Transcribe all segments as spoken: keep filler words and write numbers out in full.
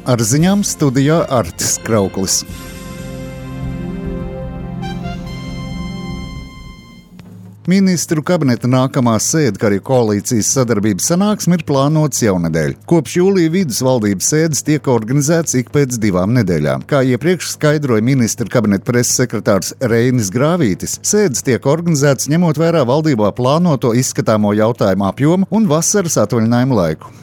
Ar ziņām studijā Artis Krauklis. Ministru kabineta nākamā sēde, kā arī koalīcijas sadarbības sanāksme, ir plānotas jaunedēļ. Kopš jūlija vidus valdības sēdes tiek organizētas ik pēc divām nedēļām. Kā iepriekš skaidroja ministru kabineta preses sekretārs Reinis Grāvītis, sēdes tiek organizētas ņemot vērā valdībā plānoto izskatāmo jautājumu apjomu un vasaras atvaļinājumu laiku.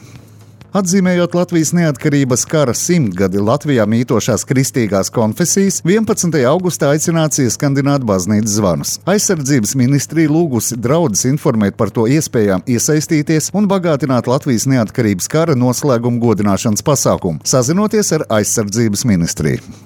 Atzīmējot Latvijas neatkarības kara simtgadi Latvijā mītošās kristīgās konfesijas, vienpadsmitajā augustā aicināts ieskandināt baznīcas zvanus. Aizsardzības ministrija lūgusi draudzes informēt par to iespējām iesaistīties un bagātināt Latvijas neatkarības kara noslēguma godināšanas pasākumu, sazinoties ar aizsardzības ministriju.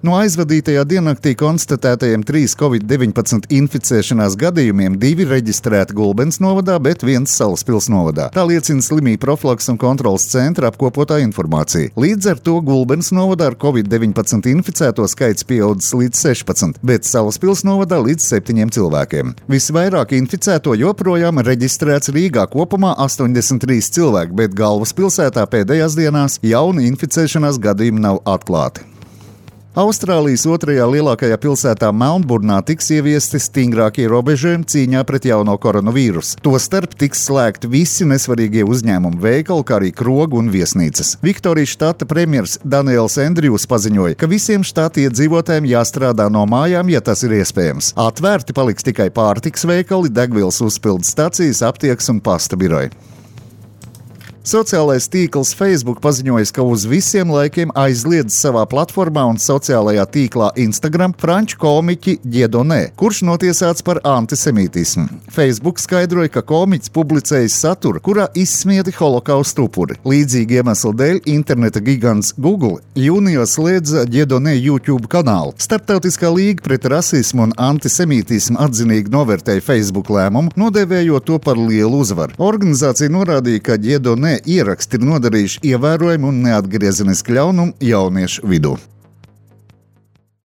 No aizvadītajā diennaktī konstatētajiem trīs covid deviņpadsmit inficēšanās gadījumiem divi reģistrēti Gulbenes novadā, bet viens Salaspils novadā. Tā liecina slimību profilakses un kontroles centra apkopotā informācija. Līdz ar to Gulbenes novadā ar covid deviņpadsmit inficēto skaits pieaudzis līdz sešpadsmit, bet Salaspils novadā līdz septiņiem cilvēkiem. Visvairāk inficēto joprojām reģistrēts Rīgā, kopumā astoņdesmit trīs cilvēki, bet galvaspilsētā pēdējās dienās jauni inficēšanās gadījumi nav atklāti. Austrālijas otrajā lielākajā pilsētā Melnburnā tiks ieviesti stingrākie robežojumi cīņā pret jauno koronavīrusu. Tostarp tiks slēgti visi nesvarīgie uzņēmumi, veikali, kā arī krogu un viesnīcas. Viktorijas štata premjers Daniels Endrijus paziņoja, ka visiem štata iedzīvotājiem jāstrādā no mājām, ja tas ir iespējams. Atvērti paliks tikai pārtikas veikali, degvielas uzpildes stacijas, aptiekas un pasta biroji. Sociālais tīkls Facebook paziņoja, ka uz visiem laikiem aizliedz savā platformā un sociālajā tīklā Instagram franču komiķi Dieudonné, kurš notiesāts par antisemītismu. Facebook skaidroja, ka komiķis publicējis saturu, kurā izsmieti holokausta upuri. Līdzīgi iemeslu dēļ interneta gigants Google jūnijā slēdza Dieudonné YouTube kanālu. Starptautiskā līga pret rasismu un antisemītismu atzinīgi novērtēja Facebook lēmumu, nodēvējot to par lielu uzvaru. Organizācija norādīja, ka Dieudonné ieraksti ir nodarījuši ievērojumu un neatgriezenisku ļaunumu jauniešu vidū.